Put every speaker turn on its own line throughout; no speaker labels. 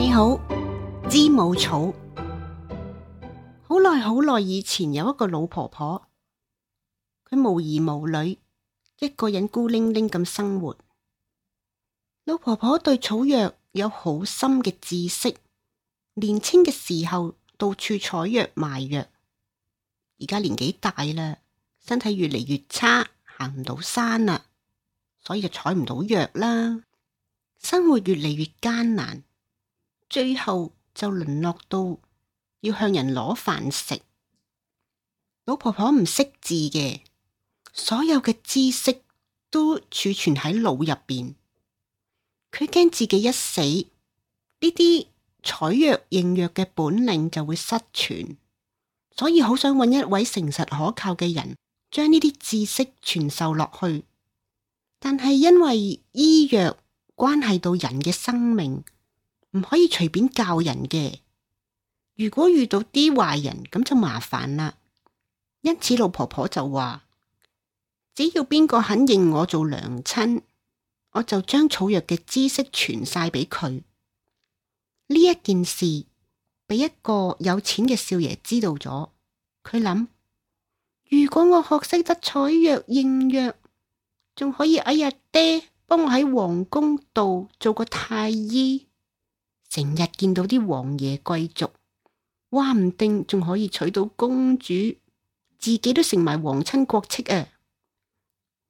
你好，知母草。好耐好耐以前有一個老婆婆，佢無兒無女，一個人孤零零咁生活。老婆婆對草藥有好深嘅知識，年輕嘅時候到處採藥賣藥，而家年紀大啦，身體越嚟越差，行唔到山啦，所以就採唔到藥啦，生活越嚟越艱難，最後就淪落到要向人攞飯食。老婆婆唔識字嘅，所有嘅知識都儲存喺腦入邊。佢驚自己一死，呢啲採藥認藥嘅本領就會失傳，所以好想揾一位誠實可靠嘅人，將呢啲知識傳授落去。但係因為醫藥關係到人嘅生命，唔可以隨便教人嘅。如果遇到啲壞人，咁就麻煩啦。因此老婆婆就話，只要邊個肯認我做娘親，我就將草藥嘅知識傳晒俾佢。呢一件事俾一個有錢嘅少爺知道咗，佢諗，如果我學識得採藥認藥，仲可以哎呀爹幫我喺皇宮度做個太醫，成日見到啲王爺貴族，話唔定仲可以娶到公主，自己都成埋皇親國戚啊！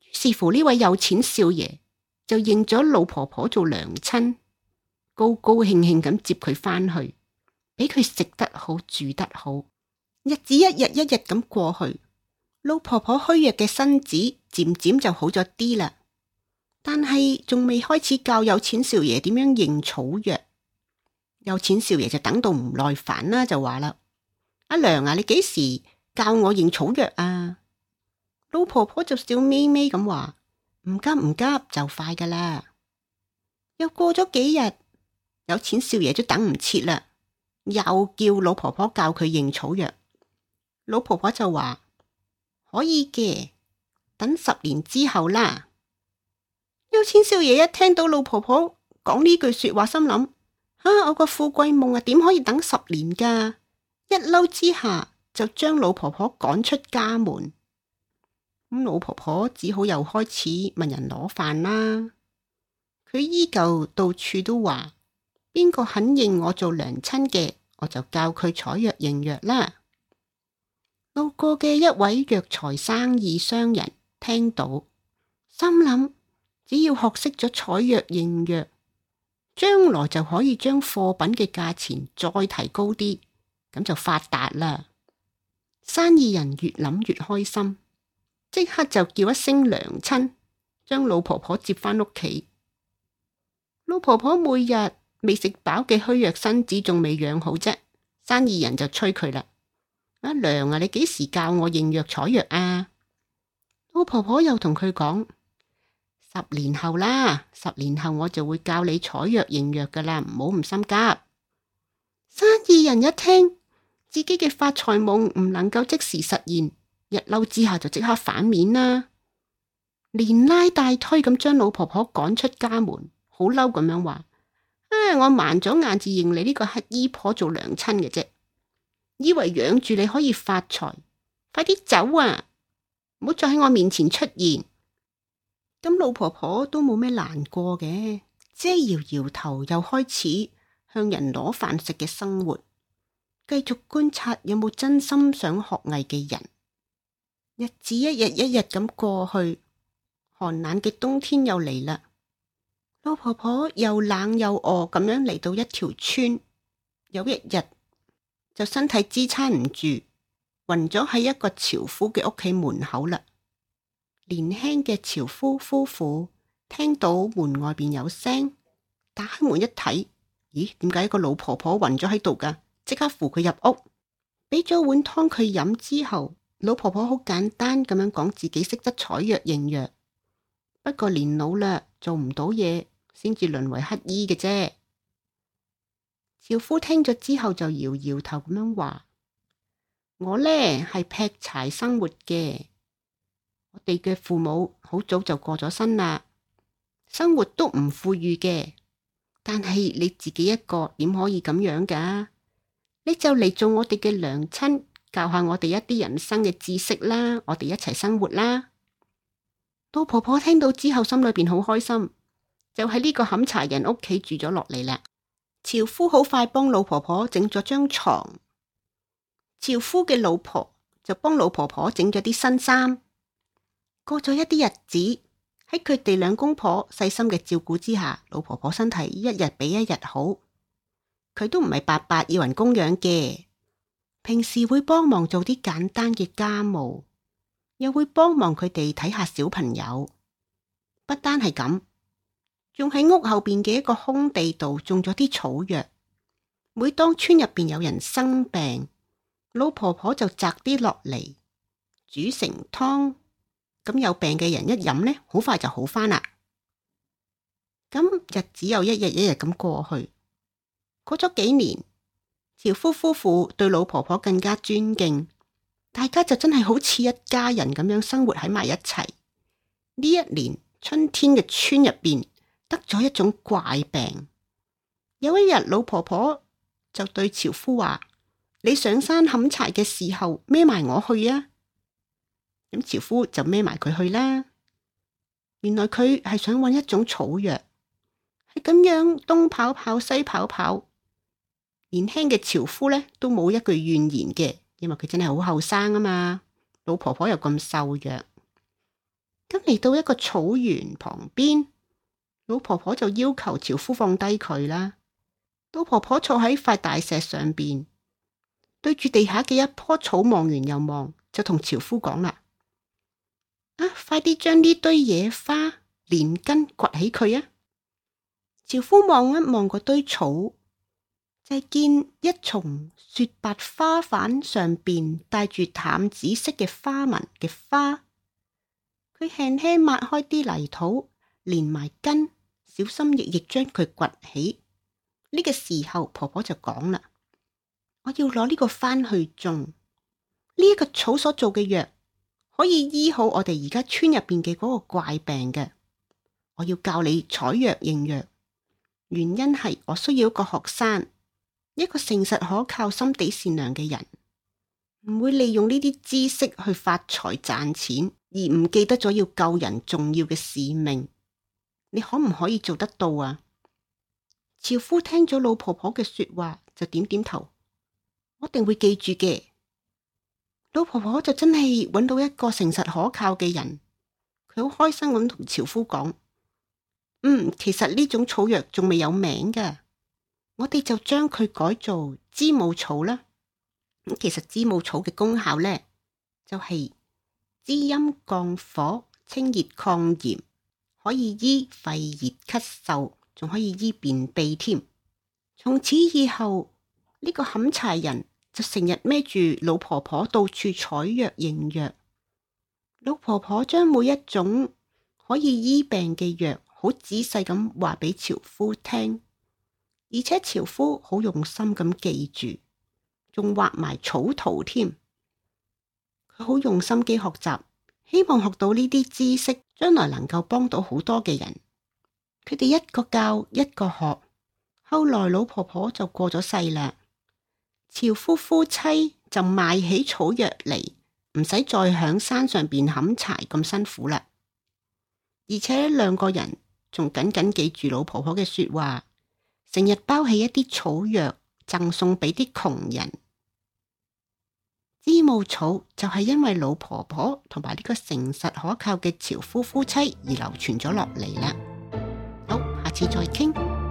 於是乎呢位有錢少爺就認咗老婆婆做娘親，高高興興咁接佢返去，俾佢食得好住得好。日子一日一日咁過去，老婆婆虛弱嘅身子漸漸就好咗啲啦，但係仲未開始教有錢少爺點樣認草藥。有錢少爺就等到唔耐煩啦，就話啦，阿娘啊，你幾時教我認草藥啊？老婆婆就笑眯眯咁話，唔急唔急，就快噶啦。又過咗幾日，有錢少爺都等唔切啦，又叫老婆婆教佢認草藥。老婆婆就話，可以嘅，等10年之後啦。有錢少爺一聽到老婆婆講呢句說話，心諗，我個富貴夢啊，點可以等10年噶？一嬲之下就將老婆婆趕出家門。咁老婆婆只好又開始問人攞飯啦。佢依舊到處都話，邊個肯認我做娘親嘅，我就教佢採藥認藥啦。路過嘅一位藥材生意商人聽到，心諗，只要學識咗採藥認藥，將來就可以將貨品嘅價錢再提高啲，咁就發達啦。生意人越諗越開心，即刻就叫一聲娘親，將老婆婆接返屋企。老婆婆每日未食飽嘅虛弱身子仲未養好啫，生意人就催佢啦，阿娘啊，你幾時教我認藥採藥啊？老婆婆又同佢講，10年後啦，10年後我就會教你採藥認藥噶啦，唔好咁心急。生意人一聽自己嘅發財夢唔能夠即時實現，一嬲之下就即刻反面啦，連拉帶推咁將老婆婆趕出家門，好嬲咁樣話，我盲咗眼至認你呢個乞衣婆做娘親嘅啫，以為養住你可以發財，快啲走啊，唔好再喺我面前出現。咁老婆婆都冇咩難過嘅，只係搖搖頭，又開始向人攞飯食嘅生活，繼續觀察有冇真心想學藝嘅人。日子一日一日咁過去，寒冷嘅冬天又嚟啦。老婆婆又冷又餓咁樣嚟到一條村，有一日就身體支撐唔住，暈咗喺一個樵夫嘅屋企門口啦。年輕嘅樵夫夫婦聽到門外邊有聲，打開門一睇，咦，點解一個老婆婆暈咗喺度噶？即刻扶佢入屋，俾咗碗湯佢飲之後，老婆婆好簡單咁樣講自己識得採藥認藥，不過年老啦，做唔到嘢，先至淪為乞衣嘅啫。樵夫聽咗之後就搖搖頭咁樣話，我呢係劈柴生活嘅，我哋嘅父母好早就過咗身啦，生活都唔富裕嘅，但係你自己一個點可以咁樣㗎？你就嚟做我哋嘅娘親，教下我哋一啲人生嘅知識啦，我哋一齊生活啦。老婆婆聽到之後，心裏邊好開心，就喺呢個砍柴人屋企住咗落嚟啦。樵夫好快幫老婆婆整咗張床，樵夫嘅老婆就幫老婆婆整咗啲新衫。過咗一啲日子，喺佢哋兩公婆細心嘅照顧之下，老婆婆身體一日比一日好。佢都唔係白白要人供養嘅，平時會幫忙做啲簡單嘅家務，又會幫忙佢哋睇下小朋友。不單係咁，仲喺屋後邊嘅一個空地度種咗啲草藥。每當村入邊有人生病，老婆婆就摘啲落嚟煮成湯，咁有病嘅人一飲呢，好快就好返啦。咁日子又一日一日咁過去。過咗幾年，樵夫夫婦對老婆婆更加尊敬，大家就真係好似一家人咁樣生活喺埋一齊。呢一年春天嘅村入邊得咗一種怪病。有一日，老婆婆就對樵夫話：你上山砍柴嘅時候孭埋我去啊！咁樵夫就孭埋佢去啦。原來佢係想搵一種草藥，係咁樣東跑跑西跑跑。年輕嘅樵夫呢都冇一句怨言嘅，因為佢真係好後生啊嘛。老婆婆又咁瘦弱，咁嚟到一個草原旁邊，老婆婆就要求樵夫放低佢啦。老婆婆坐喺塊大石上邊，對住地下嘅一棵草望完又望，就同樵夫講啦：快啲將呢堆野花連根掘起佢啊！樵夫望一望嗰堆草，就見一叢雪白花瓣上邊帶住淡紫色嘅花紋嘅花。佢輕輕抹開啲泥土，連埋根，小心翼翼將佢掘起。呢個時候，婆婆就講啦：我要攞呢個返去種，呢一個草所做嘅藥可以醫好我哋而家村入邊嘅嗰個怪病嘅。我要教你採藥認藥，原因係我需要一個學生，一個誠實可靠、心地善良嘅人，唔會利用呢啲知識去發財賺錢，而唔記得咗要救人重要嘅使命。你可唔可以做得到啊？樵夫聽咗老婆婆嘅說話，就點點頭，我一定會記住嘅。老婆婆就真係揾到一個誠實可靠嘅人，佢好開心咁同樵夫講：其實呢種草藥仲未有名㗎，我哋就將佢改做知母草啦。其實知母草嘅功效呢，就係滋陰降火、清熱抗炎，可以醫肺熱咳嗽，仲可以醫便秘添。從此以後，呢個砍柴人就成日孭住老婆婆到處採藥認藥。老婆婆將每一種可以醫病嘅藥好仔細咁話俾樵夫聽，而且樵夫好用心咁記住，仲畫埋草圖添。佢好用心機學習，希望學到呢啲知識，將來能夠幫到好多嘅人。佢哋一個教一個學，後來老婆婆就過咗世啦。樵夫夫妻就賣起草藥嚟，唔使再響山上邊砍柴咁辛苦啦。而且兩個人仲緊緊記住老婆婆嘅說話，成日包起一啲草藥贈送俾啲窮人。知母草就係因為老婆婆同埋呢個誠實可靠嘅樵夫夫妻而流傳咗落嚟啦。好，下次再傾。